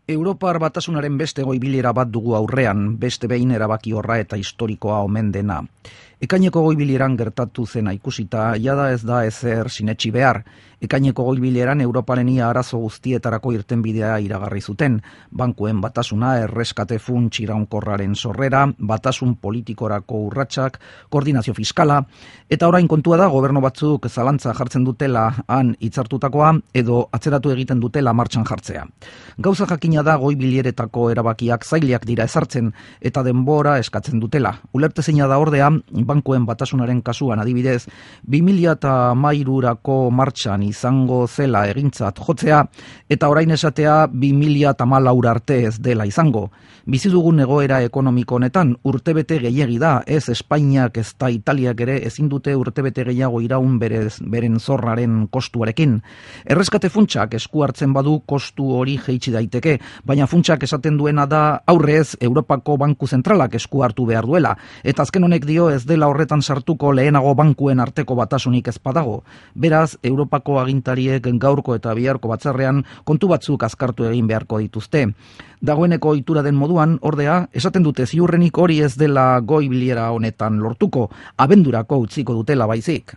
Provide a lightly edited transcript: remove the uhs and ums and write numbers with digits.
Europar Batasunaren beste goi-bilera bat dugu aurrean, beste behin erabaki horra eta historikoa omen dena. Ekaineko goi-bileran gertatu zena ikusita, jada ez da ezer sinetsi behar. Ekaineko goi-bileran Europaren ia arazo guztietarako irtenbidea iragarri zuten. Bankuen batasuna, erreskate funts iraunkorraren sorrera, batasun politikorako urratsak, koordinazio fiskala, eta orain kontua da gobernu batzuk zalantza jartzen dutela han hitzartutakoa edo atzeratu egiten dutela martxan jartzea. Gauza jakina da goi-bileretako erabakiak zailak dira ezartzen eta denbora eskatzen dutela. Ulertezina da ordea, bankuen batasunaren kasuan adibidez, 2013rako martxan izango zela egintzat jotzea, eta orain esatea 2014 arte ez dela izango. Bizi dugun egoera ekonomiko honetan urtebete gehiegi da, ez Espainiak ez da Italiak ere ezin dute urtebete gehiago iraun beren zorraren kostuarekin. Erreskate funtsak esku hartzen badu kostu hori jeitsi daiteke, baina funtsak esaten duena da aurrez Europako Banku Zentralak esku hartu behar duela, eta azken honek dio ez dela horretan sartuko lehenago bankuen arteko batasunik ez badago. Beraz, Europako agintariek gaurko eta biharko batzarrean kontu batzuk azkartu egin beharko dituzte. Dagoeneko ohitura den moduan, ordea, esaten dute ziurrenik hori ez dela goi-bilera honetan lortuko, abendurako utziko dutela baizik.